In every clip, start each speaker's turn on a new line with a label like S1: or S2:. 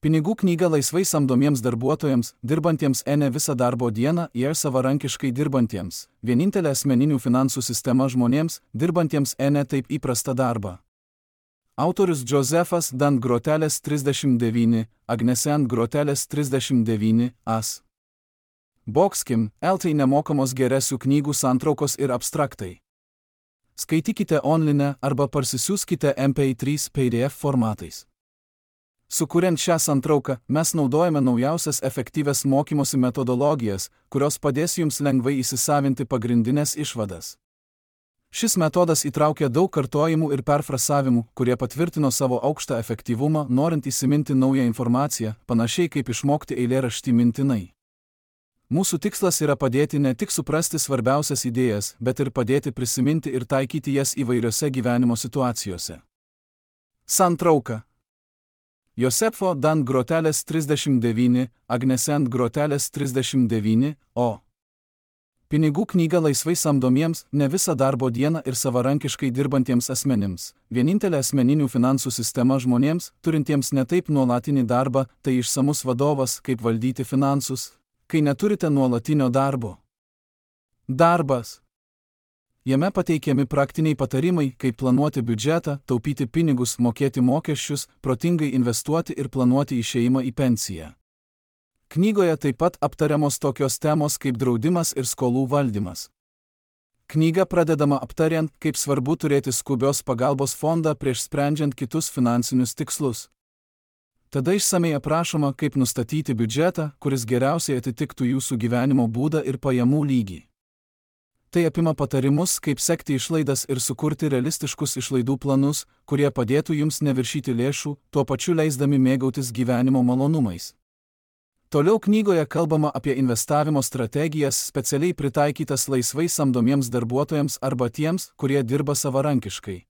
S1: Pinigų knyga laisvai samdomiems darbuotojams, dirbantiems ne visą darbo dieną ir savarankiškai dirbantiems. Vienintelė asmeninių finansų sistema žmonėms, dirbantiems ne taip įprastą darbą. Autorius Josefas Dan Groteles 39, Agnesen Groteles 39, As. Boxkim, LT nemokamos geresių knygų santraukos ir abstraktai. Skaitykite online arba parsisiųskite MP3 PDF formatais. Sukuriant šią santrauką, mes naudojame naujausias efektyvias mokymosi metodologijas, kurios padės jums lengvai įsisavinti pagrindinės išvadas. Šis metodas įtraukia daug kartojimų ir perfrasavimų, kurie patvirtino savo aukštą efektyvumą, norint įsiminti naują informaciją, panašiai kaip išmokti eilėraštį mintinai. Mūsų tikslas yra padėti ne tik suprasti svarbiausias idėjas, bet ir padėti prisiminti ir taikyti jas įvairiose gyvenimo situacijose. Santrauka. Josefo Dan Groteles 39, Agnesen Groteles 39, O. Pinigų knyga laisvai samdomiems, ne visą darbo dieną ir savarankiškai dirbantiems asmenims. Vienintelė asmeninių finansų sistema žmonėms, turintiems netaip nuolatinį darbą, tai išsamus vadovas, kaip valdyti finansus, kai neturite nuolatinio darbo. Darbas. Jame pateikiami praktiniai patarimai, kaip planuoti biudžetą, taupyti pinigus, mokėti mokesčius, protingai investuoti ir planuoti išėjimą į pensiją. Knygoje taip pat aptariamos tokios temos kaip draudimas ir skolų valdymas. Knyga pradedama aptariant, kaip svarbu turėti skubios pagalbos fondą prieš sprendžiant kitus finansinius tikslus. Tada išsamei aprašoma, kaip nustatyti biudžetą, kuris geriausiai atitiktų jūsų gyvenimo būdą ir pajamų lygį. Tai apima patarimus, kaip sekti išlaidas ir sukurti realistiškus išlaidų planus, kurie padėtų jums neviršyti lėšų, tuo pačiu leisdami mėgautis gyvenimo malonumais. Toliau knygoje kalbama apie investavimo strategijas specialiai pritaikytas laisvai samdomiems darbuotojams arba tiems, kurie dirba savarankiškai.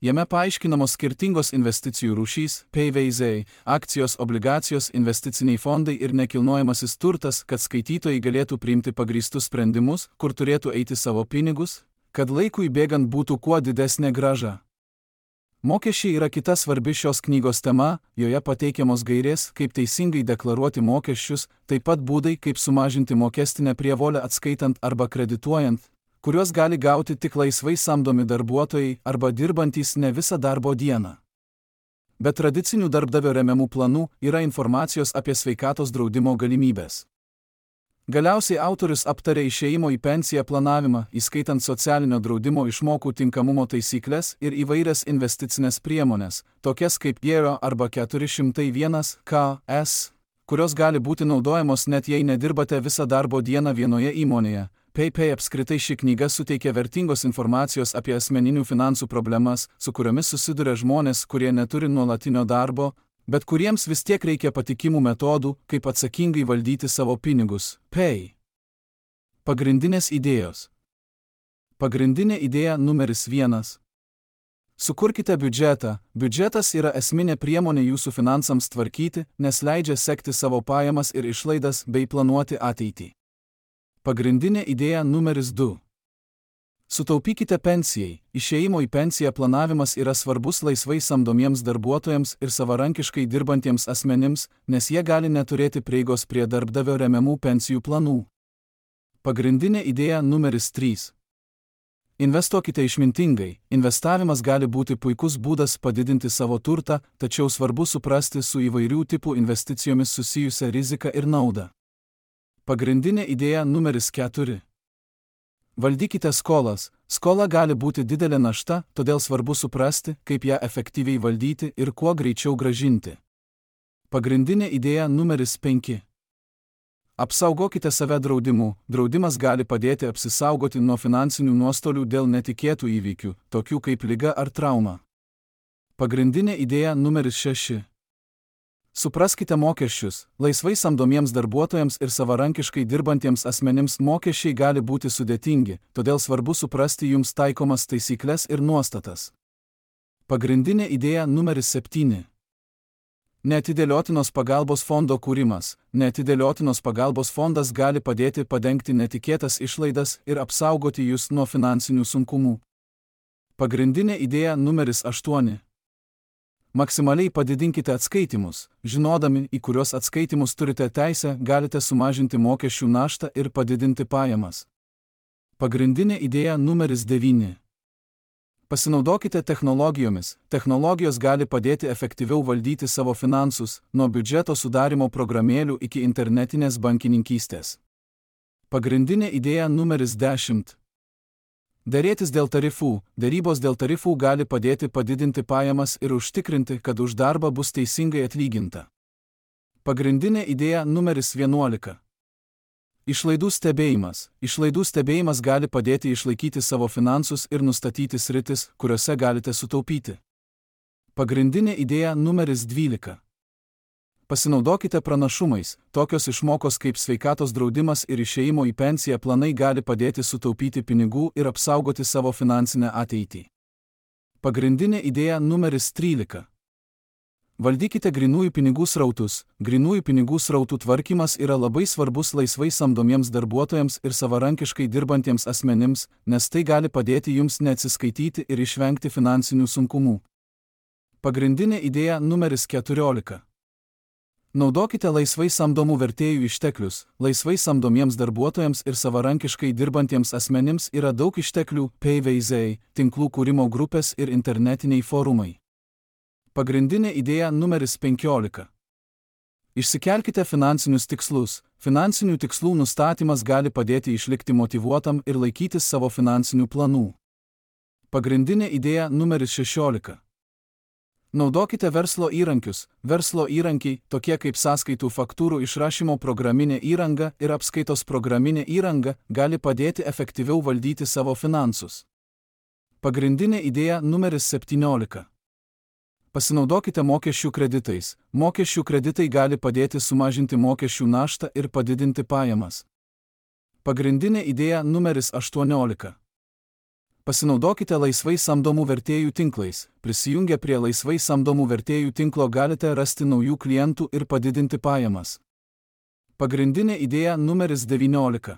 S1: Jame paaiškinamos skirtingos investicijų rūšys, PVZ, akcijos, obligacijos, investiciniai fondai ir nekilnojamasis turtas, kad skaitytojai galėtų priimti pagrįstus sprendimus, kur turėtų eiti savo pinigus, kad laikui bėgant būtų kuo didesnė grąža. Mokesčiai yra kita svarbi šios knygos tema, joje pateikiamos gairės, kaip teisingai deklaruoti mokesčius, taip pat būdai, kaip sumažinti mokestinę prievolę atskaitant arba kredituojant, kuriuos gali gauti tik laisvai samdomi darbuotojai arba dirbantys ne visą darbo dieną. Be tradicinių darbdavio remiamų planų yra informacijos apie sveikatos draudimo galimybės. Galiausiai autorius aptarė išėjimo į pensiją planavimą, įskaitant socialinio draudimo išmokų tinkamumo taisyklės ir įvairias investicinės priemonės, tokias kaip Gero arba 401 KS, kurios gali būti naudojamos net jei nedirbate visą darbo dieną vienoje įmonėje. Apskritai ši knyga suteikia vertingos informacijos apie asmeninių finansų problemas, su kuriomis susiduria žmonės, kurie neturi nuolatinio darbo, bet kuriems vis tiek reikia patikimų metodų, kaip atsakingai valdyti savo pinigus. Pagrindinės idėjos. Pagrindinė idėja numeris 1. Sukurkite biudžetą. Biudžetas yra esminė priemonė jūsų finansams tvarkyti, nes leidžia sekti savo pajamas ir išlaidas bei planuoti ateitį. Pagrindinė idėja numeris 2. Sutaupykite pensijai. Išėjimo į pensiją planavimas yra svarbus laisvai samdomiems darbuotojams ir savarankiškai dirbantiems asmenims, nes jie gali neturėti prieigos prie darbdavio remiamų pensijų planų. Pagrindinė idėja numeris 3. Investuokite išmintingai. Investavimas gali būti puikus būdas padidinti savo turtą, tačiau svarbu suprasti su įvairių tipų investicijomis susijusią riziką ir naudą. Pagrindinė idėja numeris 4. Valdykite skolas. Skola gali būti didelė našta, todėl svarbu suprasti, kaip ją efektyviai valdyti ir kuo greičiau grąžinti. Pagrindinė idėja numeris 5. Apsaugokite save draudimu. Draudimas gali padėti apsisaugoti nuo finansinių nuostolių dėl netikėtų įvykių, tokių kaip liga ar trauma. Pagrindinė idėja numeris 6. Supraskite mokesčius. Laisvai samdomiems darbuotojams ir savarankiškai dirbantiems asmenims mokesčiai gali būti sudėtingi, todėl svarbu suprasti jums taikomas taisyklės ir nuostatas. Pagrindinė idėja numeris 7. Neatidėliotinos pagalbos fondo kūrimas. Neatidėliotinos pagalbos fondas gali padėti padengti netikėtas išlaidas ir apsaugoti jūs nuo finansinių sunkumų. Pagrindinė idėja numeris 8. Maksimaliai padidinkite atskaitimus, žinodami, į kuriuos atskaitimus turite teisę, galite sumažinti mokesčių naštą ir padidinti pajamas. Pagrindinė idėja numeris 9. Pasinaudokite technologijomis. Technologijos gali padėti efektyviau valdyti savo finansus, nuo biudžeto sudarimo programėlių iki internetinės bankininkystės. Pagrindinė idėja numeris 10. Derėtis dėl tarifų. Derybos dėl tarifų gali padėti padidinti pajamas ir užtikrinti, kad už darbą bus teisingai atlyginta. Pagrindinė idėja numeris 11. Išlaidų stebėjimas. Išlaidų stebėjimas gali padėti išlaikyti savo finansus ir nustatyti sritis, kuriuose galite sutaupyti. Pagrindinė idėja numeris 12. Pasinaudokite pranašumais. Tokios išmokos kaip sveikatos draudimas ir išėjimo į pensiją planai gali padėti sutaupyti pinigų ir apsaugoti savo finansinę ateitį. Pagrindinė idėja numeris 13. Valdykite grynųjų pinigų srautus. Grynųjų pinigų srautų tvarkymas yra labai svarbus laisvai samdomiems darbuotojams ir savarankiškai dirbantiems asmenims, nes tai gali padėti jums neatsiskaityti ir išvengti finansinių sunkumų. Pagrindinė idėja numeris 14. Naudokite laisvai samdomų vertėjų išteklius. Laisvai samdomiems darbuotojams ir savarankiškai dirbantiems asmenims yra daug išteklių, PVZ, tinklų kūrimo grupės ir internetiniai forumai. Pagrindinė idėja numeris 15. Išsikelkite finansinius tikslus. Finansinių tikslų nustatymas gali padėti išlikti motyvuotam ir laikytis savo finansinių planų. Pagrindinė idėja numeris 16. Naudokite verslo įrankius. Verslo įrankiai, tokie kaip sąskaitų faktūrų išrašymo programinė įranga ir apskaitos programinė įranga, gali padėti efektyviau valdyti savo finansus. Pagrindinė idėja numeris 17. Pasinaudokite mokesčių kreditais. Mokesčių kreditai gali padėti sumažinti mokesčių naštą ir padidinti pajamas. Pagrindinė idėja numeris 18. Pasinaudokite laisvai samdomų vertėjų tinklais. Prisijungę prie laisvai samdomų vertėjų tinklo galite rasti naujų klientų ir padidinti pajamas. Pagrindinė idėja numeris 19.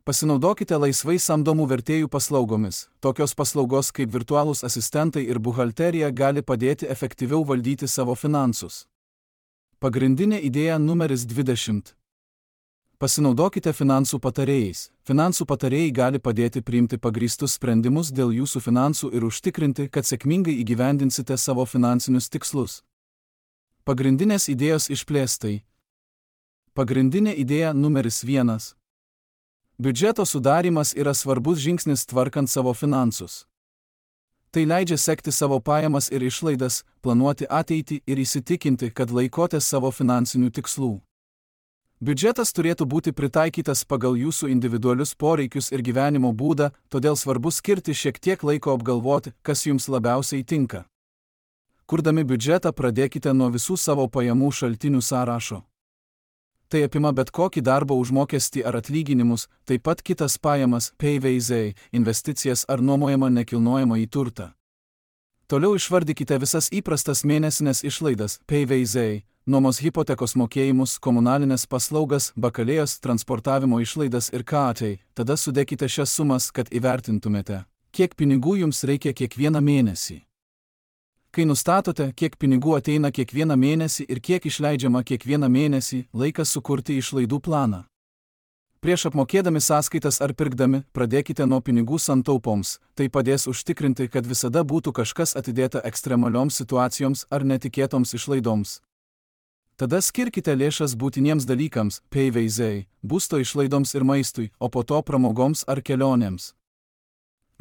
S1: Pasinaudokite laisvai samdomų vertėjų paslaugomis. Tokios paslaugos kaip virtualūs asistentai ir buhalterija gali padėti efektyviau valdyti savo finansus. Pagrindinė idėja numeris 20. Pasinaudokite finansų patarėjais. Finansų patarėjai gali padėti priimti pagrįstus sprendimus dėl jūsų finansų ir užtikrinti, kad sėkmingai įgyvendinsite savo finansinius tikslus. Pagrindinės idėjos išplėstai. Pagrindinė idėja numeris 1. Biudžeto sudarimas yra svarbus žingsnis tvarkant savo finansus. Tai leidžia sekti savo pajamas ir išlaidas, planuoti ateitį ir įsitikinti, kad laikotės savo finansinių tikslų. Biudžetas turėtų būti pritaikytas pagal jūsų individualius poreikius ir gyvenimo būdą, todėl svarbu skirti šiek tiek laiko apgalvoti, kas jums labiausiai tinka. Kurdami biudžetą pradėkite nuo visų savo pajamų šaltinių sąrašo. Tai apima bet kokį darbo užmokestį ar atlyginimus, taip pat kitas pajamas, PVZ, investicijas ar nuomojamą nekilnojamą į turtą. Toliau išvardykite visas įprastas mėnesinės išlaidas, PVZ, nuomos hipotekos mokėjimus, komunalinės paslaugas, bakalėjos, transportavimo išlaidas ir KAT. Tada sudėkite šias sumas, kad įvertintumėte, kiek pinigų jums reikia kiekvieną mėnesį. Kai nustatote, kiek pinigų ateina kiekvieną mėnesį ir kiek išleidžiama kiekvieną mėnesį, laikas sukurti išlaidų planą. Prieš apmokėdami sąskaitas ar pirkdami, pradėkite nuo pinigų santaupoms. Tai padės užtikrinti, kad visada būtų kažkas atidėta ekstremalioms situacijoms ar netikėtoms išlaidoms. Tada skirkite lėšas būtiniems dalykams, PVZ, būsto išlaidoms ir maistui, o po to pramogoms ar kelionėms.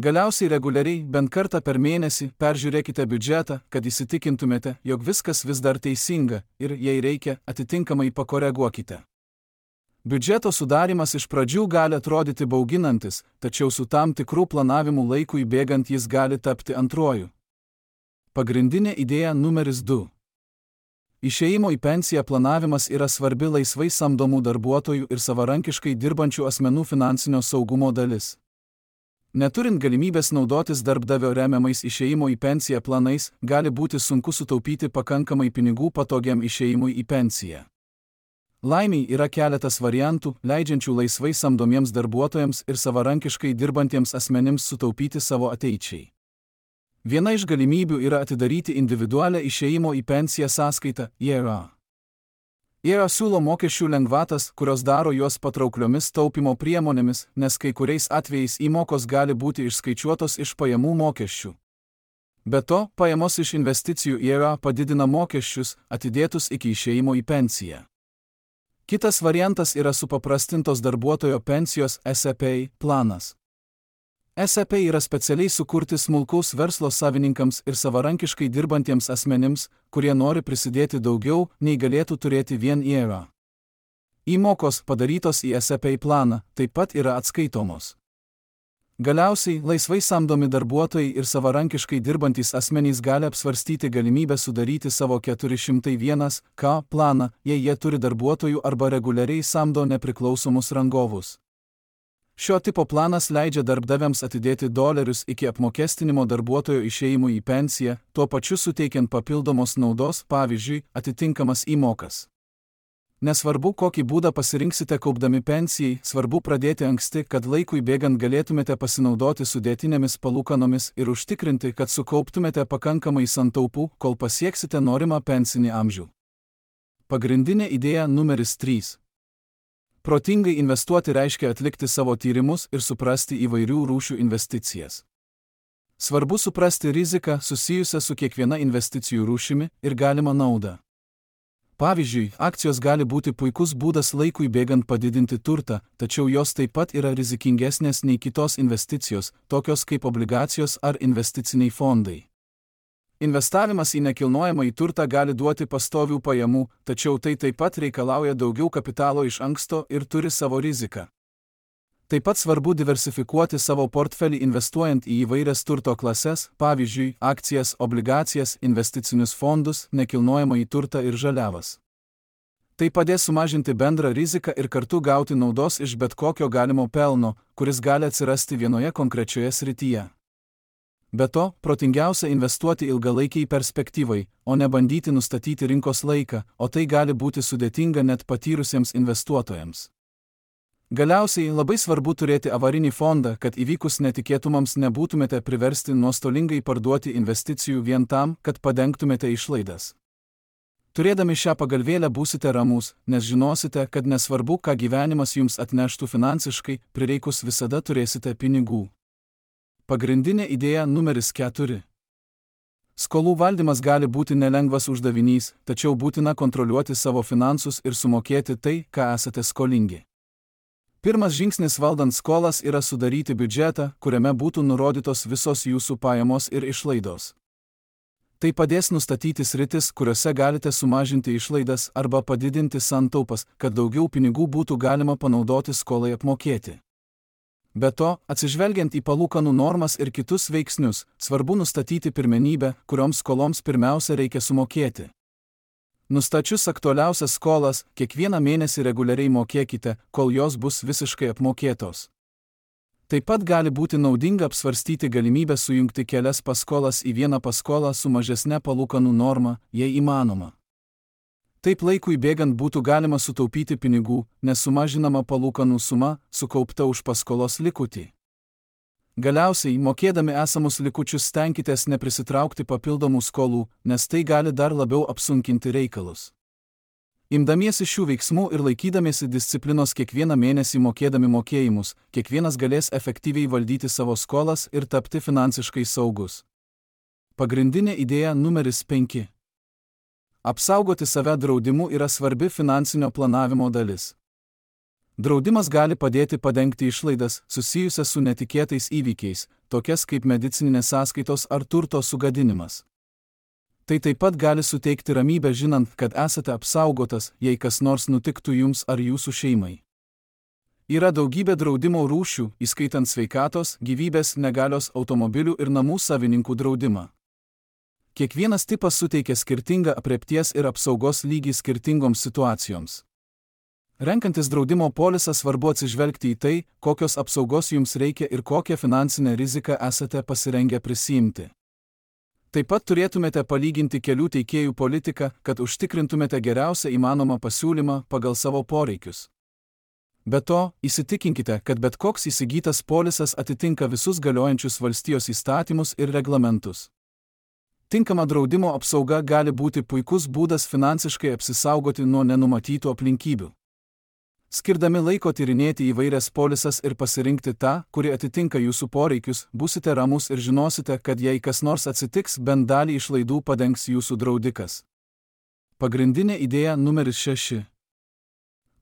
S1: Galiausiai reguliariai, bent kartą per mėnesį, peržiūrėkite biudžetą, kad įsitikintumėte, jog viskas vis dar teisinga ir, jei reikia, atitinkamai pakoreguokite. Biudžeto sudarimas iš pradžių gali atrodyti bauginantis, tačiau su tam tikrų planavimų laikui bėgant jis gali tapti antruoju. Pagrindinė idėja numeris 2. Išėjimo į pensiją planavimas yra svarbi laisvai samdomų darbuotojų ir savarankiškai dirbančių asmenų finansinio saugumo dalis. Neturint galimybės naudotis darbdavio remiamais išėjimo į pensiją planais, gali būti sunku sutaupyti pakankamai pinigų patogiam išėjimui į pensiją. Laimiai yra keletas variantų, leidžiančių laisvai samdomiems darbuotojams ir savarankiškai dirbantiems asmenims sutaupyti savo ateičiai. Viena iš galimybių yra atidaryti individualią išėjimo į pensiją sąskaitą IRA. IRA siūlo mokesčių lengvatas, kurios daro juos patraukliomis taupimo priemonėmis, nes kai kuriais atvejais įmokos gali būti išskaičiuotos iš pajamų mokesčių. Be to, pajamos iš investicijų IRA padidina mokesčius, atidėtus iki išėjimo į pensiją. Kitas variantas yra supaprastintos darbuotojo pensijos SEP planas. SEP yra specialiai sukurti smulkaus verslo savininkams ir savarankiškai dirbantiems asmenims, kurie nori prisidėti daugiau, nei galėtų turėti vien IRA. Įmokos padarytos į SEP planą taip pat yra atskaitomos. Galiausiai, laisvai samdomi darbuotojai ir savarankiškai dirbantys asmenys gali apsvarstyti galimybę sudaryti savo 401(k) planą, jei jie turi darbuotojų arba reguliariai samdo nepriklausomus rangovus. Šio tipo planas leidžia darbdaviams atidėti dolerius iki apmokestinimo darbuotojo išėjimui į pensiją, tuo pačiu suteikiant papildomos naudos, pavyzdžiui, atitinkamas įmokas. Nesvarbu, kokį būdą pasirinksite kaupdami pensijai, svarbu pradėti anksti, kad laikui bėgant galėtumėte pasinaudoti sudėtinėmis palūkanomis ir užtikrinti, kad sukauptumėte pakankamai santaupų, kol pasieksite norimą pensinį amžių. Pagrindinė idėja numeris 3. Protingai investuoti reiškia atlikti savo tyrimus ir suprasti įvairių rūšių investicijas. Svarbu suprasti riziką susijusią su kiekviena investicijų rūšimi ir galimą naudą. Pavyzdžiui, akcijos gali būti puikus būdas laikui bėgant padidinti turtą, tačiau jos taip pat yra rizikingesnės nei kitos investicijos, tokios kaip obligacijos ar investiciniai fondai. Investavimas į nekilnojamąjį turtą gali duoti pastovių pajamų, tačiau tai taip pat reikalauja daugiau kapitalo iš anksto ir turi savo riziką. Taip pat svarbu diversifikuoti savo portfelį investuojant į įvairias turto klases, pavyzdžiui, akcijas, obligacijas, investicinius fondus, nekilnojamąjį turtą ir žaliavas. Tai padės sumažinti bendrą riziką ir kartu gauti naudos iš bet kokio galimo pelno, kuris gali atsirasti vienoje konkrečioje srityje. Be to, protingiausia investuoti ilgalaikiai perspektyvai, o ne bandyti nustatyti rinkos laiką, o tai gali būti sudėtinga net patyrusiems investuotojams. Galiausiai labai svarbu turėti avarinį fondą, kad įvykus netikėtumams nebūtumėte priversti nuostolingai parduoti investicijų vien tam, kad padengtumėte išlaidas. Turėdami šią pagalvėlę būsite ramūs, nes žinosite, kad nesvarbu, ką gyvenimas jums atneštų finansiškai, prireikus visada turėsite pinigų. Pagrindinė idėja numeris 4. Skolų valdymas gali būti nelengvas uždavinys, tačiau būtina kontroliuoti savo finansus ir sumokėti tai, ką esate skolingi. Pirmas žingsnis valdant skolas yra sudaryti biudžetą, kuriame būtų nurodytos visos jūsų pajamos ir išlaidos. Tai padės nustatyti sritis, kuriuose galite sumažinti išlaidas arba padidinti santaupas, kad daugiau pinigų būtų galima panaudoti skolai apmokėti. Be to, atsižvelgiant į palūkanų normas ir kitus veiksnius, svarbu nustatyti pirmenybę, kurioms skoloms pirmiausia reikia sumokėti. Nustačius aktualiausias skolas, kiekvieną mėnesį reguliariai mokėkite, kol jos bus visiškai apmokėtos. Taip pat gali būti naudinga apsvarstyti galimybę sujungti kelias paskolas į vieną paskolą su mažesne palūkanų norma, jei įmanoma. Taip laikui bėgant būtų galima sutaupyti pinigų, nes sumažinama palūkanų suma, sukaupta už paskolos likutį. Galiausiai, mokėdami esamus likučius stenkitės neprisitraukti papildomų skolų, nes tai gali dar labiau apsunkinti reikalus. Imdamiesi šių veiksmų ir laikydamiesi disciplinos kiekvieną mėnesį mokėdami mokėjimus, kiekvienas galės efektyviai valdyti savo skolas ir tapti finansiškai saugus. Pagrindinė idėja numeris 5. Apsaugoti save draudimu yra svarbi finansinio planavimo dalis. Draudimas gali padėti padengti išlaidas susijusias su netikėtais įvykiais, tokias kaip medicininės sąskaitos ar turto sugadinimas. Tai taip pat gali suteikti ramybę žinant, kad esate apsaugotas, jei kas nors nutiktų jums ar jūsų šeimai. Yra daugybė draudimo rūšių, įskaitant sveikatos, gyvybės, negalios, automobilių ir namų savininkų draudimą. Kiekvienas tipas suteikia skirtingą aprėpties ir apsaugos lygį skirtingoms situacijoms. Renkantis draudimo polisą svarbu atsižvelgti į tai, kokios apsaugos jums reikia ir kokią finansinę riziką esate pasirengę prisiimti. Taip pat turėtumėte palyginti kelių teikėjų politiką, kad užtikrintumėte geriausią įmanomą pasiūlymą pagal savo poreikius. Be to, įsitikinkite, kad bet koks įsigytas polisas atitinka visus galiojančius valstijos įstatymus ir reglamentus. Tinkama draudimo apsauga gali būti puikus būdas finansiškai apsisaugoti nuo nenumatytų aplinkybių. Skirdami laiko tyrinėti įvairias polisas ir pasirinkti tą, kuri atitinka jūsų poreikius, būsite ramus ir žinosite, kad jei kas nors atsitiks, bent dalį išlaidų padengs jūsų draudikas. Pagrindinė idėja numeris 6.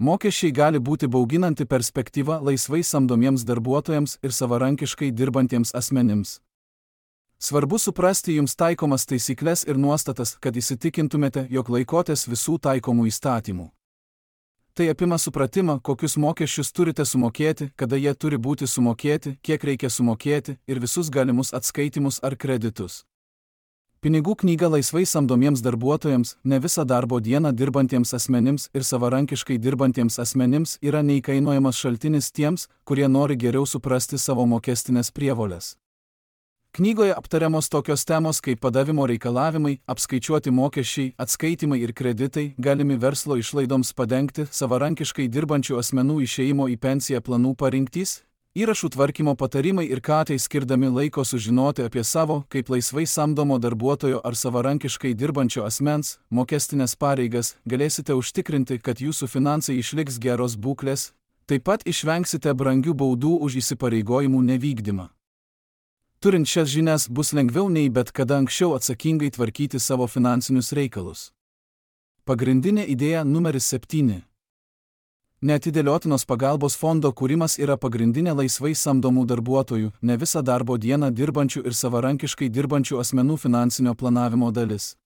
S1: Mokesčiai gali būti bauginanti perspektyva laisvai samdomiems darbuotojams ir savarankiškai dirbantiems asmenims. Svarbu suprasti jums taikomas taisyklės ir nuostatas, kad įsitikintumėte, jog laikotės visų taikomų įstatymų. Tai apima supratimą, kokius mokesčius turite sumokėti, kada jie turi būti sumokėti, kiek reikia sumokėti ir visus galimus atskaitimus ar kreditus. Pinigų knyga laisvai samdomiems darbuotojams, ne visą darbo dieną dirbantiems asmenims ir savarankiškai dirbantiems asmenims yra neįkainojamas šaltinis tiems, kurie nori geriau suprasti savo mokestinės prievolės. Knygoje aptariamos tokios temos kaip padavimo reikalavimai, apskaičiuoti mokesčiai, atskaitimai ir kreditai, galimi verslo išlaidoms padengti, savarankiškai dirbančių asmenų išėjimo į pensiją planų parinktys, įrašų tvarkymo patarimai ir katai skirdami laiko sužinoti apie savo, kaip laisvai samdomo darbuotojo ar savarankiškai dirbančio asmens, mokestinės pareigas, galėsite užtikrinti, kad jūsų finansai išliks geros būklės, taip pat išvengsite brangių baudų už įsipareigojimų nevykdymą. Turint šias žinias bus lengviau nei bet kada anksčiau atsakingai tvarkyti savo finansinius reikalus. Pagrindinė idėja numeris 7. Neatidėliotinos pagalbos fondo kūrimas yra pagrindinė laisvai samdomų darbuotojų, ne visą darbo dieną dirbančių ir savarankiškai dirbančių asmenų finansinio planavimo dalis.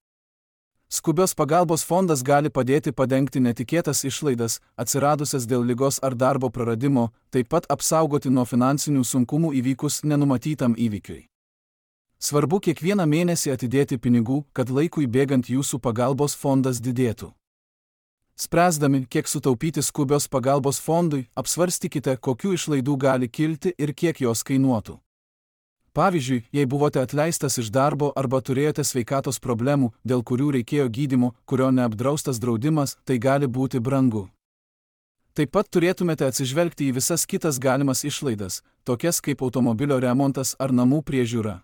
S1: Skubios pagalbos fondas gali padėti padengti netikėtas išlaidas, atsiradusias dėl ligos ar darbo praradimo, taip pat apsaugoti nuo finansinių sunkumų įvykus nenumatytam įvykiui. Svarbu kiekvieną mėnesį atidėti pinigų, kad laikui bėgant jūsų pagalbos fondas didėtų. Spręsdami, kiek sutaupyti skubios pagalbos fondui, apsvarstykite, kokių išlaidų gali kilti ir kiek jos kainuotų. Pavyzdžiui, jei buvote atleistas iš darbo arba turėjote sveikatos problemų, dėl kurių reikėjo gydymo, kurio neapdraustas draudimas, tai gali būti brangu. Taip pat turėtumėte atsižvelgti į visas kitas galimas išlaidas, tokias kaip automobilio remontas ar namų priežiūra.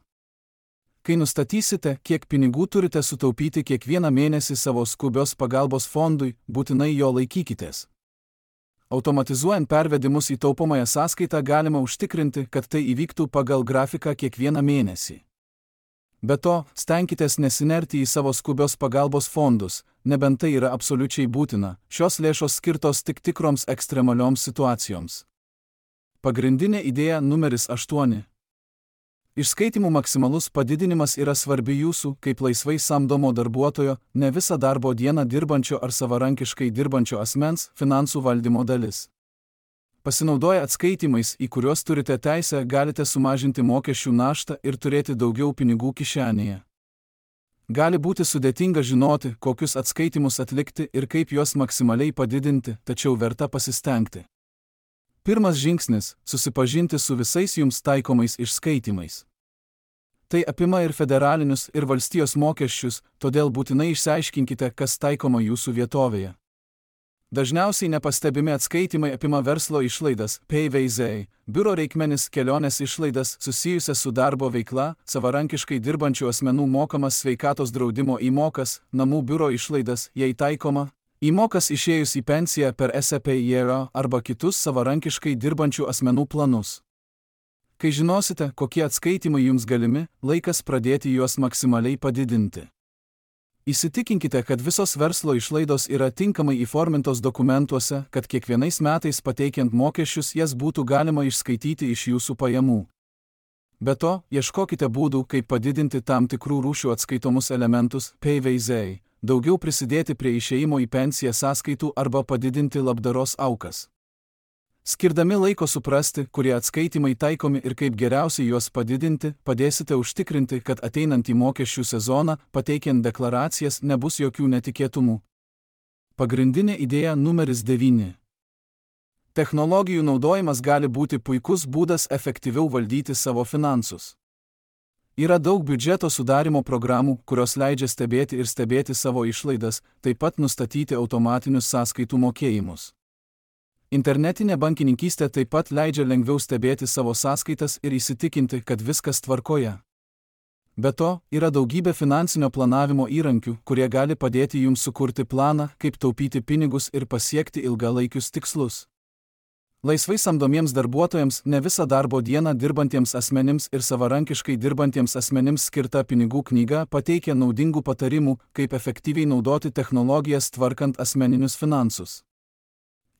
S1: Kai nustatysite, kiek pinigų turite sutaupyti kiekvieną mėnesį savo skubios pagalbos fondui, būtinai jo laikykitės. Automatizuojant pervedimus į taupomąją sąskaitą galima užtikrinti, kad tai įvyktų pagal grafiką kiekvieną mėnesį. Be to, stenkitės nesinerti į savo skubios pagalbos fondus, nebent tai yra absoliučiai būtina, šios lėšos skirtos tik tikroms ekstremalioms situacijoms. Pagrindinė idėja numeris 8. Išskaitimų maksimalus padidinimas yra svarbi jūsų, kaip laisvai samdomo darbuotojo, ne visą darbo dieną dirbančio ar savarankiškai dirbančio asmens, finansų valdymo dalis. Pasinaudoję atskaitimais, į kuriuos turite teisę, galite sumažinti mokesčių naštą ir turėti daugiau pinigų kišenėje. Gali būti sudėtinga žinoti, kokius atskaitimus atlikti ir kaip juos maksimaliai padidinti, tačiau verta pasistengti. Pirmas žingsnis – susipažinti su visais jums taikomais išskaitimais. Tai apima ir federalinius, ir valstijos mokesčius, todėl būtinai išsiaiškinkite, kas taikoma jūsų vietovėje. Dažniausiai nepastebimi atskaitimai apima verslo išlaidas, PVZ, biuro reikmenis, kelionės išlaidas susijusias su darbo veikla, savarankiškai dirbančių asmenų mokamas sveikatos draudimo įmokas, namų biuro išlaidas, jei taikoma, įmokas išėjus į pensiją per SEPIRA arba kitus savarankiškai dirbančių asmenų planus. Kai žinosite, kokie atskaitimai jums galimi, laikas pradėti juos maksimaliai padidinti. Įsitikinkite, kad visos verslo išlaidos yra tinkamai įformintos dokumentuose, kad kiekvienais metais pateikiant mokesčius jas būtų galima išskaityti iš jūsų pajamų. Be to, ieškokite būdų, kaip padidinti tam tikrų rūšių atskaitomus elementus, PVZ, daugiau prisidėti prie išėjimo į pensiją sąskaitų arba padidinti labdaros aukas. Skirdami laiko suprasti, kurie atskaitimai taikomi ir kaip geriausiai juos padidinti, padėsite užtikrinti, kad ateinant į mokesčių sezoną, pateikiant deklaracijas, nebus jokių netikėtumų. Pagrindinė idėja numeris 9. Technologijų naudojimas gali būti puikus būdas efektyviau valdyti savo finansus. Yra daug biudžeto sudarimo programų, kurios leidžia stebėti savo išlaidas, taip pat nustatyti automatinius sąskaitų mokėjimus. Internetinė bankininkystė taip pat leidžia lengviau stebėti savo sąskaitas ir įsitikinti, kad viskas tvarkoje. Be to, yra daugybė finansinio planavimo įrankių, kurie gali padėti jums sukurti planą, kaip taupyti pinigus ir pasiekti ilgalaikius tikslus. Laisvai samdomiems darbuotojams, ne visą darbo dieną dirbantiems asmenims ir savarankiškai dirbantiems asmenims skirta pinigų knyga pateikia naudingų patarimų, kaip efektyviai naudoti technologijas tvarkant asmeninius finansus.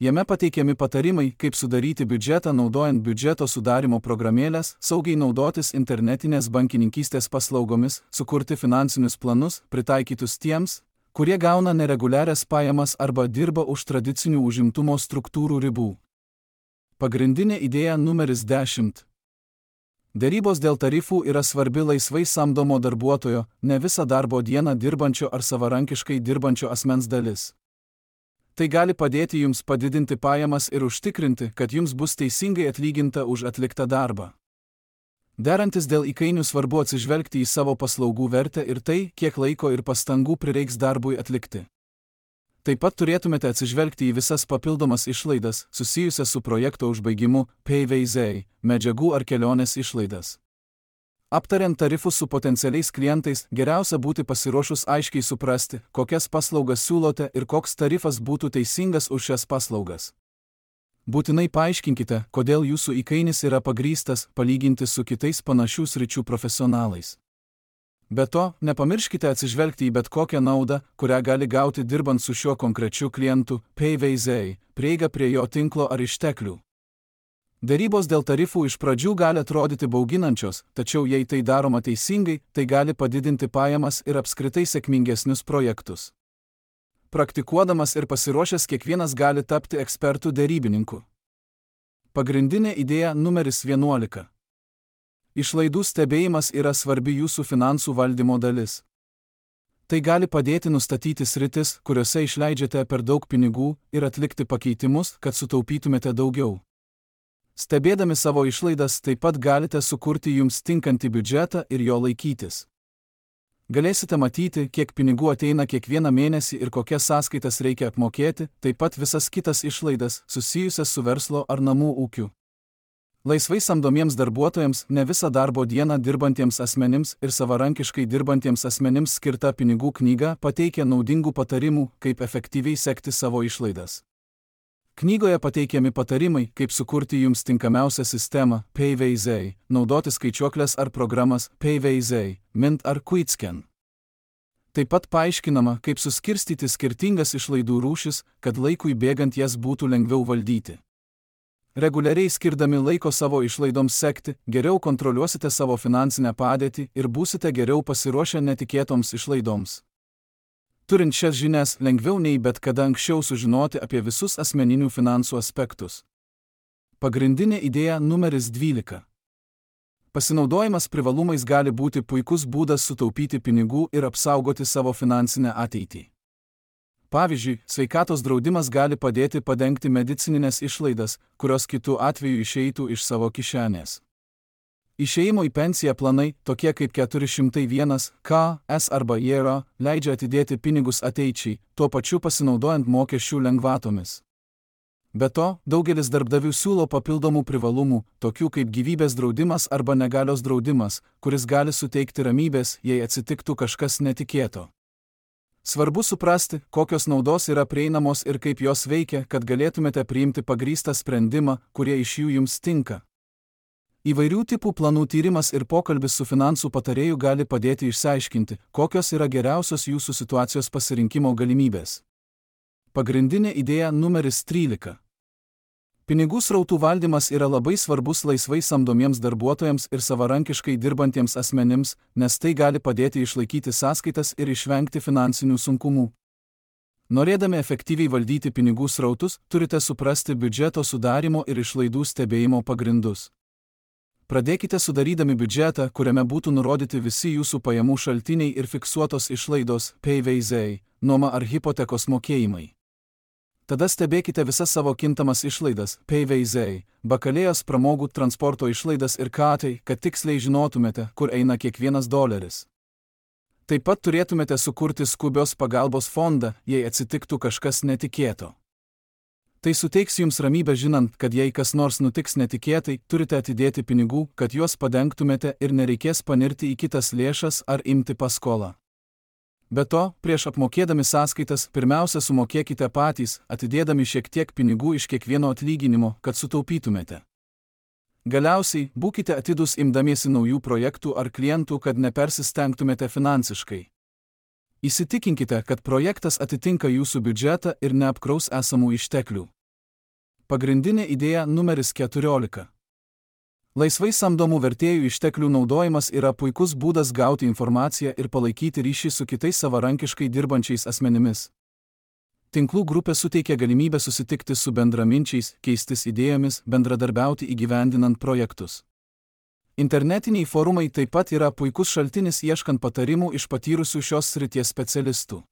S1: Jame pateikiami patarimai, kaip sudaryti biudžetą naudojant biudžeto sudarimo programėlės, saugiai naudotis internetinės bankininkystės paslaugomis, sukurti finansinius planus, pritaikytus tiems, kurie gauna nereguliarias pajamas arba dirba už tradicinių užimtumo struktūrų ribų. Pagrindinė idėja numeris 10. Derybos dėl tarifų yra svarbi laisvai samdomo darbuotojo, ne visą darbo dieną dirbančio ar savarankiškai dirbančio asmens dalis. Tai gali padėti jums padidinti pajamas ir užtikrinti, kad jums bus teisingai atlyginta už atliktą darbą. Derantis dėl įkainių svarbu atsižvelgti į savo paslaugų vertę ir tai, kiek laiko ir pastangų prireiks darbui atlikti. Taip pat turėtumėte atsižvelgti į visas papildomas išlaidas, susijusias su projekto užbaigimu, PVZ, medžiagų ar kelionės išlaidas. Aptariant tarifus su potencialiais klientais, geriausia būti pasiruošus aiškiai suprasti, kokias paslaugas siūlote ir koks tarifas būtų teisingas už šias paslaugas. Būtinai paaiškinkite, kodėl jūsų įkainis yra pagrįstas, palyginti su kitais panašių sričių profesionalais. Be to, nepamirškite atsižvelgti į bet kokią naudą, kurią gali gauti dirbant su šiuo konkrečiu klientu, PVZ, prieiga prie jo tinklo ar išteklių. Derybos dėl tarifų iš pradžių gali atrodyti bauginančios, tačiau jei tai daroma teisingai, tai gali padidinti pajamas ir apskritai sėkmingesnius projektus. Praktikuodamas ir pasiruošęs kiekvienas gali tapti ekspertų derybininku. Pagrindinė idėja numeris 11. Išlaidų stebėjimas yra svarbi jūsų finansų valdymo dalis. Tai gali padėti nustatyti sritis, kuriuose išleidžiate per daug pinigų ir atlikti pakeitimus, kad sutaupytumėte daugiau. Stebėdami savo išlaidas taip pat galite sukurti jums tinkantį biudžetą ir jo laikytis. Galėsite matyti, kiek pinigų ateina kiekvieną mėnesį ir kokias sąskaitas reikia apmokėti, taip pat visas kitas išlaidas, susijusias su verslo ar namų ūkiu. Laisvai samdomiems darbuotojams, ne visą darbo dieną dirbantiems asmenims ir savarankiškai dirbantiems asmenims skirta pinigų knyga pateikia naudingų patarimų, kaip efektyviai sekti savo išlaidas. Knygoje pateikiami patarimai, kaip sukurti jums tinkamiausią sistemą, PVZ, naudoti skaičiuoklės ar programas, PVZ, Mint ar QuickScan. Taip pat paaiškinama, kaip suskirstyti skirtingas išlaidų rūšis, kad laikui bėgant jas būtų lengviau valdyti. Reguliariai skirdami laiko savo išlaidoms sekti, geriau kontroliuosite savo finansinę padėtį ir būsite geriau pasiruošę netikėtoms išlaidoms. Turint šias žinias, lengviau nei bet kada anksčiau sužinoti apie visus asmeninių finansų aspektus. Pagrindinė idėja numeris 12. Pasinaudojimas privalumais gali būti puikus būdas sutaupyti pinigų ir apsaugoti savo finansinę ateitį. Pavyzdžiui, sveikatos draudimas gali padėti padengti medicininės išlaidas, kurios kitu atveju išeitų iš savo kišenės. Išėjimo į pensiją planai, tokie kaip 401k arba JERA, leidžia atidėti pinigus ateičiai, tuo pačiu pasinaudojant mokesčių lengvatomis. Be to, daugelis darbdavių siūlo papildomų privalumų, tokių kaip gyvybės draudimas arba negalios draudimas, kuris gali suteikti ramybės, jei atsitiktų kažkas netikėto. Svarbu suprasti, kokios naudos yra prieinamos ir kaip jos veikia, kad galėtumėte priimti pagrįstą sprendimą, kurie iš jų jums tinka. Įvairių tipų planų tyrimas ir pokalbis su finansų patarėju gali padėti išsiaiškinti, kokios yra geriausios jūsų situacijos pasirinkimo galimybės. Pagrindinė idėja numeris 13. Pinigų srautų valdymas yra labai svarbus laisvai samdomiems darbuotojams ir savarankiškai dirbantiems asmenims, nes tai gali padėti išlaikyti sąskaitas ir išvengti finansinių sunkumų. Norėdami efektyviai valdyti pinigų srautus, turite suprasti biudžeto sudarimo ir išlaidų stebėjimo pagrindus. Pradėkite sudarydami biudžetą, kuriame būtų nurodyti visi jūsų pajamų šaltiniai ir fiksuotos išlaidos, PVZ, nuoma ar hipotekos mokėjimai. Tada stebėkite visas savo kintamas išlaidas, PVZ, bakalėjos, pramogų, transporto išlaidas ir katai, kad tiksliai žinotumėte, kur eina kiekvienas doleris. Taip pat turėtumėte sukurti skubios pagalbos fondą, jei atsitiktų kažkas netikėto. Tai suteiks jums ramybę žinant, kad jei kas nors nutiks netikėtai, turite atidėti pinigų, kad juos padengtumėte ir nereikės panirti į kitas lėšas ar imti paskolą. Be to, prieš apmokėdami sąskaitas, pirmiausia sumokėkite patys, atidėdami šiek tiek pinigų iš kiekvieno atlyginimo, kad sutaupytumėte. Galiausiai, būkite atidūs imdamiesi naujų projektų ar klientų, kad nepersistengtumėte finansiškai. Įsitikinkite, kad projektas atitinka jūsų biudžetą ir neapkraus esamų išteklių. Pagrindinė idėja numeris 14. Laisvai samdomų vertėjų išteklių naudojimas yra puikus būdas gauti informaciją ir palaikyti ryšį su kitais savarankiškai dirbančiais asmenimis. Tinklų grupė suteikia galimybę susitikti su bendraminčiais, keistis idėjomis, bendradarbiauti įgyvendinant projektus. Internetiniai forumai taip pat yra puikus šaltinis ieškant patarimų iš patyrusių šios srities specialistų.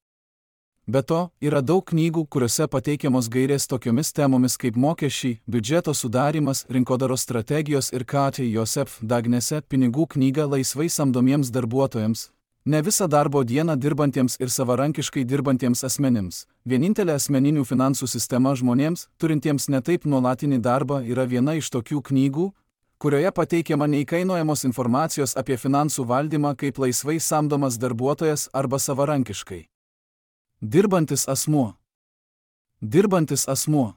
S1: Be to, yra daug knygų, kuriuose pateikiamos gairės tokiomis temomis kaip mokesčiai, biudžeto sudarymas, rinkodaros strategijos ir Katja Joseph Dagnese pinigų knyga laisvai samdomiems darbuotojams, ne visą darbo dieną dirbantiems ir savarankiškai dirbantiems asmenims. Vienintelė asmeninių finansų sistema žmonėms, turintiems netaip nuolatinį darbą, yra viena iš tokių knygų, kurioje pateikiama neįkainojamos informacijos apie finansų valdymą kaip laisvai samdomas darbuotojas arba savarankiškai dirbantis asmuo. Dirbantis asmuo.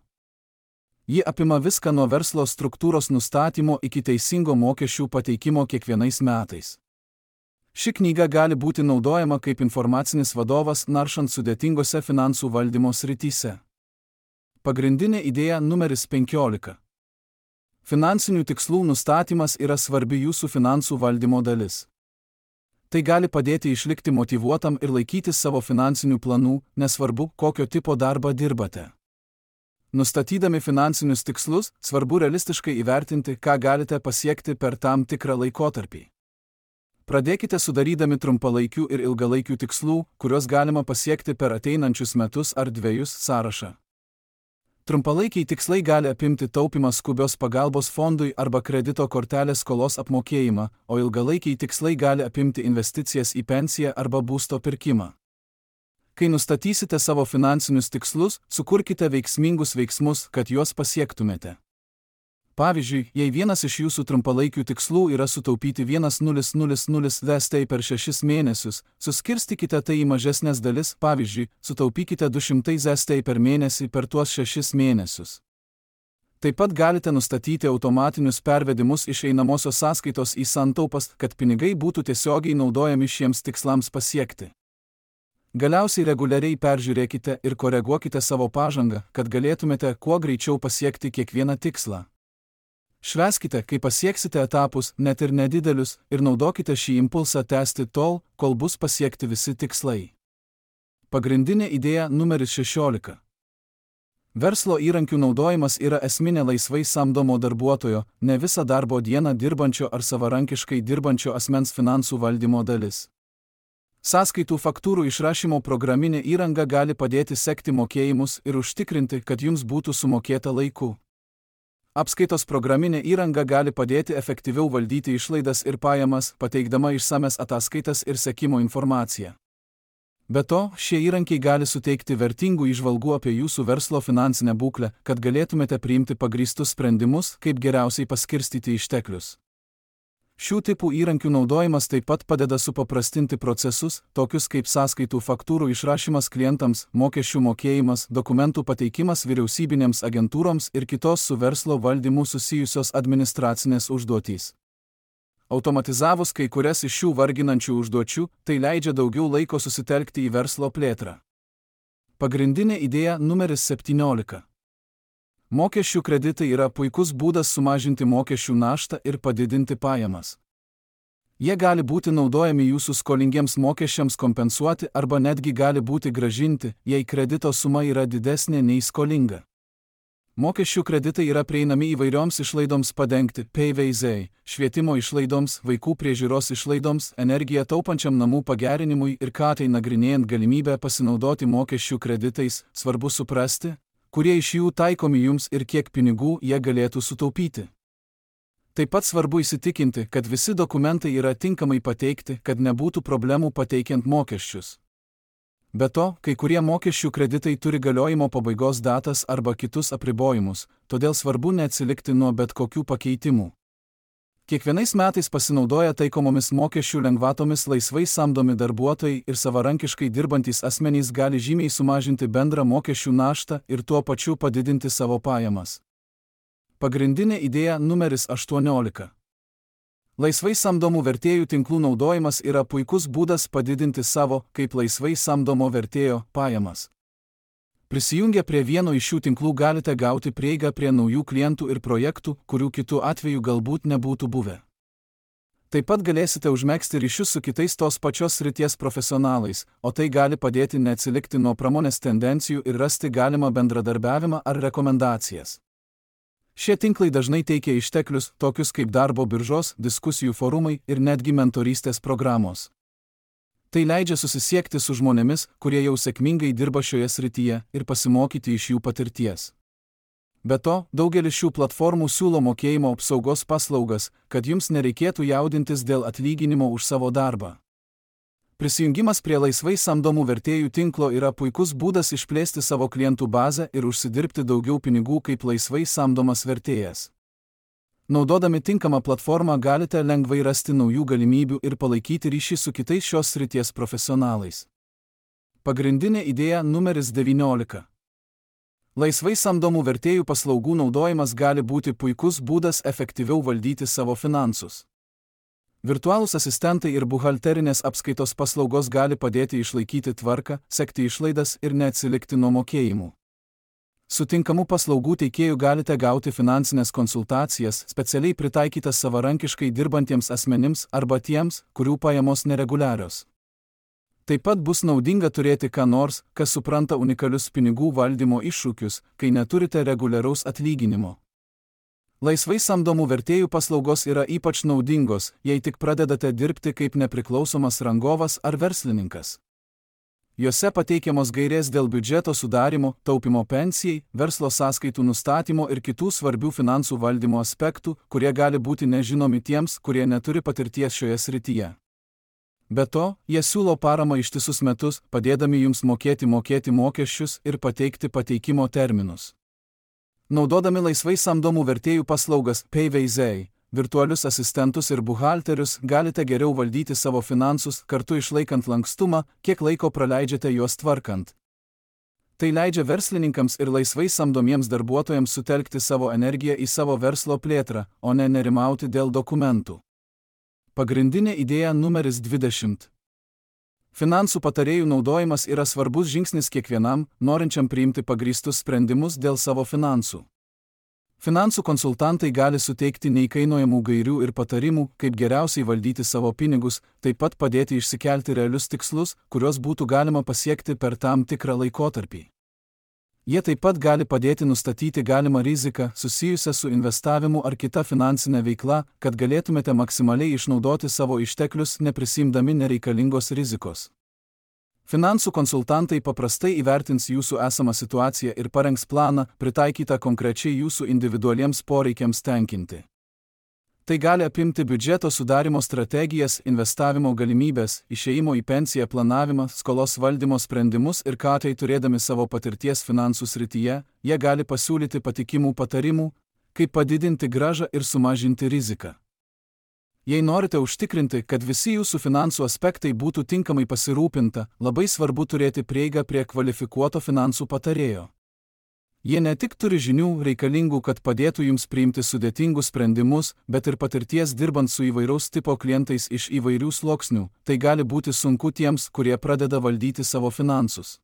S1: Ji apima viską nuo verslo struktūros nustatymo iki teisingo mokesčių pateikimo kiekvienais metais. Ši knyga gali būti naudojama kaip informacinis vadovas naršant sudėtingose finansų valdymo srityse. Pagrindinė idėja numeris 15. Finansinių tikslų nustatymas yra svarbi jūsų finansų valdymo dalis. Tai gali padėti išlikti motyvuotam ir laikytis savo finansinių planų, nesvarbu, kokio tipo darbą dirbate. Nustatydami finansinius tikslus, svarbu realistiškai įvertinti, ką galite pasiekti per tam tikrą laikotarpį. Pradėkite sudarydami trumpalaikių ir ilgalaikių tikslų, kuriuos galima pasiekti per ateinančius metus ar 2 sąrašą. Trumpalaikiai tikslai gali apimti taupymą skubios pagalbos fondui arba kredito kortelės skolos apmokėjimą, o ilgalaikiai tikslai gali apimti investicijas į pensiją arba būsto pirkimą. Kai nustatysite savo finansinius tikslus, sukurkite veiksmingus veiksmus, kad juos pasiektumėte. Pavyzdžiui, jei vienas iš jūsų trumpalaikių tikslų yra sutaupyti 1,000 Vst per 6 mėnesius, suskirstykite tai į mažesnės dalis, pavyzdžiui, sutaupykite 200 Vst per mėnesį per tuos 6 mėnesius. Taip pat galite nustatyti automatinius pervedimus iš einamosios sąskaitos į santaupas, kad pinigai būtų tiesiogiai naudojami šiems tikslams pasiekti. Galiausiai reguliariai peržiūrėkite ir koreguokite savo pažangą, kad galėtumėte kuo greičiau pasiekti kiekvieną tikslą. Švęskite, kai pasieksite etapus, net ir nedidelius, ir naudokite šį impulsą tęsti tol, kol bus pasiekti visi tikslai. Pagrindinė idėja numeris 16. Verslo įrankių naudojimas yra esminė laisvai samdomo darbuotojo, ne visą darbo dieną dirbančio ar savarankiškai dirbančio asmens finansų valdymo dalis. Sąskaitų faktūrų išrašymo programinė įranga gali padėti sekti mokėjimus ir užtikrinti, kad jums būtų sumokėta laiku. Apskaitos programinė įranga gali padėti efektyviau valdyti išlaidas ir pajamas, pateikdama išsames ataskaitas ir sekimo informaciją. Be to, šie įrankiai gali suteikti vertingų įžvalgų apie jūsų verslo finansinę būklę, kad galėtumėte priimti pagrįstus sprendimus, kaip geriausiai paskirstyti išteklius. Šių tipų įrankių naudojimas taip pat padeda supaprastinti procesus, tokius kaip sąskaitų faktūrų išrašymas klientams, mokesčių mokėjimas, dokumentų pateikimas vyriausybinėms agentūroms ir kitos su verslo valdymu susijusios administracinės užduotys. Automatizavus kai kurias iš šių varginančių užduočių, tai leidžia daugiau laiko susitelkti į verslo plėtrą. Pagrindinė idėja numeris 17. Mokesčių kreditai yra puikus būdas sumažinti mokesčių naštą ir padidinti pajamas. Jie gali būti naudojami jūsų skolingiems mokesčiams kompensuoti arba netgi gali būti grąžinti, jei kredito suma yra didesnė nei skolinga. Mokesčių kreditai yra prieinami įvairioms išlaidoms padengti, PVZ, švietimo išlaidoms, vaikų priežiūros išlaidoms, energiją taupančiam namų pagerinimui ir tai nagrinėjant galimybę pasinaudoti mokesčių kreditais, svarbu suprasti, kurie iš jų taikomi jums ir kiek pinigų jie galėtų sutaupyti. Taip pat svarbu įsitikinti, kad visi dokumentai yra tinkamai pateikti, kad nebūtų problemų pateikiant mokesčius. Be to, kai kurie mokesčių kreditai turi galiojimo pabaigos datas arba kitus apribojimus, todėl svarbu neatsilikti nuo bet kokių pakeitimų. Kiekvienais metais pasinaudoję taikomomis mokesčių lengvatomis laisvai samdomi darbuotojai ir savarankiškai dirbantys asmenys gali žymiai sumažinti bendrą mokesčių naštą ir tuo pačiu padidinti savo pajamas. Pagrindinė idėja numeris 18. Laisvai samdomų vertėjų tinklų naudojimas yra puikus būdas padidinti savo, kaip laisvai samdomo vertėjo, pajamas. Prisijungę prie vieno iš šių tinklų galite gauti prieigą prie naujų klientų ir projektų, kurių kitų atveju galbūt nebūtų buvę. Taip pat galėsite užmegzti ryšius su kitais tos pačios srities profesionalais, o tai gali padėti neatsilikti nuo pramonės tendencijų ir rasti galimą bendradarbiavimą ar rekomendacijas. Šie tinklai dažnai teikia išteklius, tokius kaip darbo biržos, diskusijų forumai ir netgi mentorystės programos. Tai leidžia susisiekti su žmonėmis, kurie jau sėkmingai dirba šioje srityje ir pasimokyti iš jų patirties. Be to, daugelis šių platformų siūlo mokėjimo apsaugos paslaugas, kad jums nereikėtų jaudintis dėl atlyginimo už savo darbą. Prisijungimas prie laisvai samdomų vertėjų tinklo yra puikus būdas išplėsti savo klientų bazę ir užsidirbti daugiau pinigų kaip laisvai samdomas vertėjas. Naudodami tinkamą platformą galite lengvai rasti naujų galimybių ir palaikyti ryšį su kitais šios srities profesionalais. Pagrindinė idėja numeris 19. Laisvai samdomų vertėjų paslaugų naudojimas gali būti puikus būdas efektyviau valdyti savo finansus. Virtualūs asistentai ir buhalterinės apskaitos paslaugos gali padėti išlaikyti tvarką, sekti išlaidas ir neatsilikti nuo mokėjimų. Su tinkamu paslaugų teikėju galite gauti finansinės konsultacijas, specialiai pritaikytas savarankiškai dirbantiems asmenims arba tiems, kurių pajamos nereguliarios. Taip pat bus naudinga turėti ką nors, kas supranta unikalius pinigų valdymo iššūkius, kai neturite reguliaraus atlyginimo. Laisvai samdomų vertėjų paslaugos yra ypač naudingos, jei tik pradedate dirbti kaip nepriklausomas rangovas ar verslininkas. Jose pateikiamos gairės dėl biudžeto sudarimo, taupimo pensijai, verslo sąskaitų nustatymo ir kitų svarbių finansų valdymo aspektų, kurie gali būti nežinomi tiems, kurie neturi patirties šioje srityje. Be to, jie siūlo paramą ištisus metus, padėdami jums mokėti mokesčius ir pateikti pateikimo terminus. Naudodami laisvai samdomų vertėjų paslaugas PayVeizai, virtualius asistentus ir buhalterius galite geriau valdyti savo finansus, kartu išlaikant lankstumą, kiek laiko praleidžiate juos tvarkant. Tai leidžia verslininkams ir laisvai samdomiems darbuotojams sutelkti savo energiją į savo verslo plėtrą, o ne nerimauti dėl dokumentų. Pagrindinė idėja numeris 20. Finansų patarėjų naudojimas yra svarbus žingsnis kiekvienam, norinčiam priimti pagrįstus sprendimus dėl savo finansų. Finansų konsultantai gali suteikti neįkainojamų gairių ir patarimų, kaip geriausiai valdyti savo pinigus, taip pat padėti išsikelti realius tikslus, kuriuos būtų galima pasiekti per tam tikrą laikotarpį. Jie taip pat gali padėti nustatyti galimą riziką susijusią su investavimu ar kita finansinė veikla, kad galėtumėte maksimaliai išnaudoti savo išteklius, neprisimdami nereikalingos rizikos. Finansų konsultantai paprastai įvertins jūsų esamą situaciją ir parengs planą, pritaikytą konkrečiai jūsų individualiems poreikiams tenkinti. Tai gali apimti biudžeto sudarimo strategijas, investavimo galimybės, išėjimo į pensiją planavimą, skolos valdymo sprendimus ir ką tai turėdami savo patirties finansų srityje, jie gali pasiūlyti patikimų patarimų, kaip padidinti grąžą ir sumažinti riziką. Jei norite užtikrinti, kad visi jūsų finansų aspektai būtų tinkamai pasirūpinta, labai svarbu turėti prieigą prie kvalifikuoto finansų patarėjo. Jie ne tik turi žinių reikalingų, kad padėtų jums priimti sudėtingus sprendimus, bet ir patirties dirbant su įvairaus tipo klientais iš įvairių sluoksnių, tai gali būti sunku tiems, kurie pradeda valdyti savo finansus.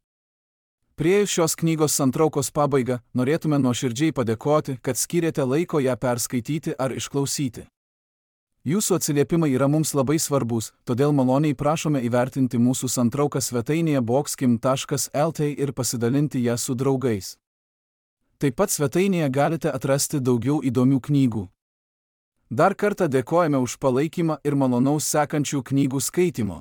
S1: Priėjus šios knygos santraukos pabaigą, norėtume nuoširdžiai padėkoti, kad skyrėte laiko ją perskaityti ar išklausyti. Jūsų atsiliepimai yra mums labai svarbus, todėl maloniai prašome įvertinti mūsų santrauką svetainėje boxkim.lt ir pasidalinti ją su draugais. Taip pat svetainėje galite atrasti daugiau įdomių knygų. Dar kartą dėkojame už palaikymą ir malonaus sekančių knygų skaitimo.